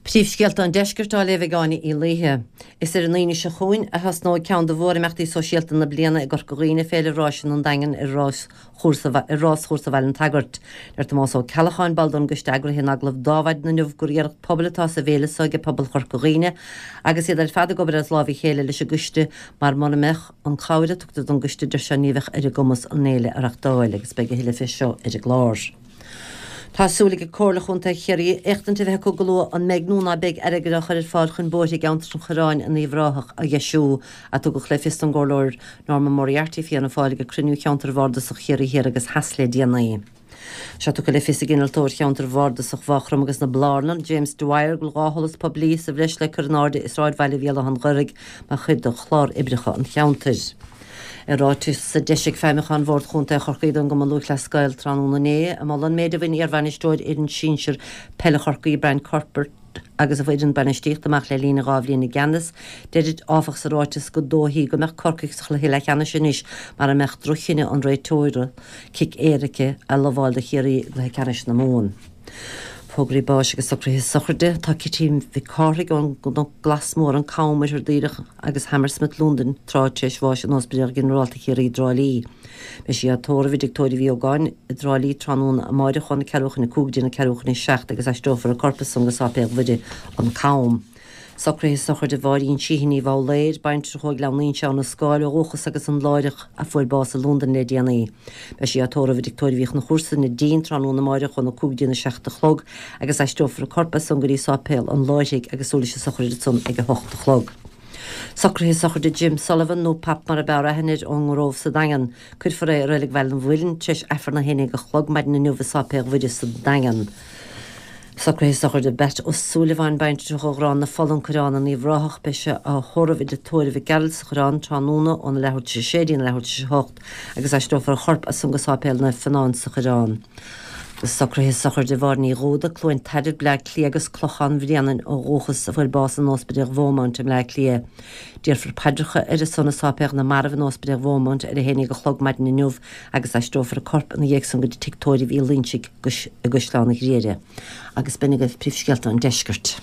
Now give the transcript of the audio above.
Príomhscéalta an Deiscirt á léamh ag Áine Uí Laoithe. Is ar an Aoine seo chugainn a thosnóidh ceann de mhórimeachtaí sóisialta na bliana i gCorca Dhuibhne, Féile Ráiseanna an Daingin ar ráschúrsa ar Ráschúrsa Bhaile an tSagairt. Deir Tomás Ó Ceallacháin, ball don gcoiste eagraithe in agallamh d'Adhmhaidin inniu gur iarracht pobail atá sa bhféile seo ag pobal Chorca Dhuibhne agus iad ar fad ag obair as láimh a chéile leis an gcoiste mar mura mbeadh an chabhair a tugtar don gcoiste deir sé ní bheadh ar a gcumas an fhéile a reachtáil agus beidh a thuilleadh fé seo ar an gclár. Tá súil ag Comhairle Chontae Chiarraí éachtaint a bheith acu go luath an mbeidh nó ná beidh airgead á chur ar fáil chun bóithre i gceantar an Choireáin in Uíbh Ráthach a dheisiú, a tugadh le fios don gComhairleoir Norma Moriarty Fianna Fáil ag cruinniú Cheantar Bhardasach Chiarraí Thiar agus Theas le déanaí. Tá sé tugtha le fios ag Innealtóir Cheantar Bhardasach Mhaigh Chromtha agus na Blarnan, James Dwyer, go bhfuil 2 sholas poiblí sa bhreis le cur in airde i sráidbhaile Bhéal Átha an Ghaorthaidh mar chuid de chlár oibreacha an cheantair. I ráiteas a d'eisigh Feidhmiúchán Bhord Chontae Chorcaí don gCumann Lúthchleas Gael tráthnóna inné, ag moladh an méid a bhain iarbhainisteoir fhoireann sinsir peile Chorcaí Brian Cuthbert agus a fhoireann bainistíochta amach le linn a 2 bhliain i gceannas, deirid áfach sa ráiteas gur dóichí go mbeadh Corcaigh sa chluiche leathcheannais anois mara mbeadh droch-chinneadh an réiteora cic éirice a lamháil do Chiarraí i gcluiche ceannais na Mumhan. Fógraí báis agus socruithe sochraide. Tá Cití Mhic Cárthaigh ón gCnoc Glas Mór, An Cam, Oirthear Daoireach agus Hammersmith, Londain, tráth tar éis bháis in Ospidéal Ginearálta Chiarraí i dTrá Lí. Beidh sí á tórramh i dTigh Tórraimh Uí Ógáin i dTrá Lí tráthnóna amáireach óna ceathrú chun a 5 go dtí na ceathrú chun a 7 agus aistreofar a corp ansan go Sáipéal Mhuire, An Cam. Socruithe sochraide Mháirín Sheehy Ní Bhoghlaeir, baintreach ó Ghleann Fhuinnse, Abha na Scáil ó dhúchas agus an Láithreach a fuair bás i Londain le déanaí. Beidh sí á tórramh i dTigh Tórraimh Uí Chonchúir sa Neidín tráthnóna amáireach óna 5 go dtína 7 a chlog agus aistreofar a corp as san go dtí Sáipéal an Láithrigh agus tabharfar leis an sochraid ansan ag 8 a chlog. Socruithe sochraide Jim Sullivan, nó Pap mar a b'fhearr aithne air, ón nGrove sa Daingean. Cuirfear é i Reilig Bhaile an Mhuilinn tar éis Aifreann 11 a chlog maidin inniu i Sáipéal Mhuire sa Daingean. Socruithe sochraide Batt Ó Súilleabháin, baintreach ó Ghrán na Fola, An Coireán in Uíbh Ráthach. Beidh sé á thórramh i dTigh Tórraimh Mhic Gearailt sa Choireán tráthnóna óna leathuair tar éis a sé dtína leathuair tar éis a hocht agus aistreofar a chorp as san go Sáipéal Naomh Fionán sa Choireán. Socruithe sochraide Mháire Ní Dhúda, Cluain Tairbh, Bleá Cliath agus Clochán Bhréanainn ó dhúchas, a fuair bás in Ospidéal Bheaumont i mBleá Cliath. Déarfar paidreacha ar a son i Sáipéal na Marbh in Ospidéal Bheaumont ar a haon déag a chlog maidin inniu agus aistreofar a corp ina dhiaidh san go dtí Tigh Tórraimh Uí Loingsigh i gCaisleán an Ghriaire. Agus b'in agaibh príomhscéalta an deiscirt.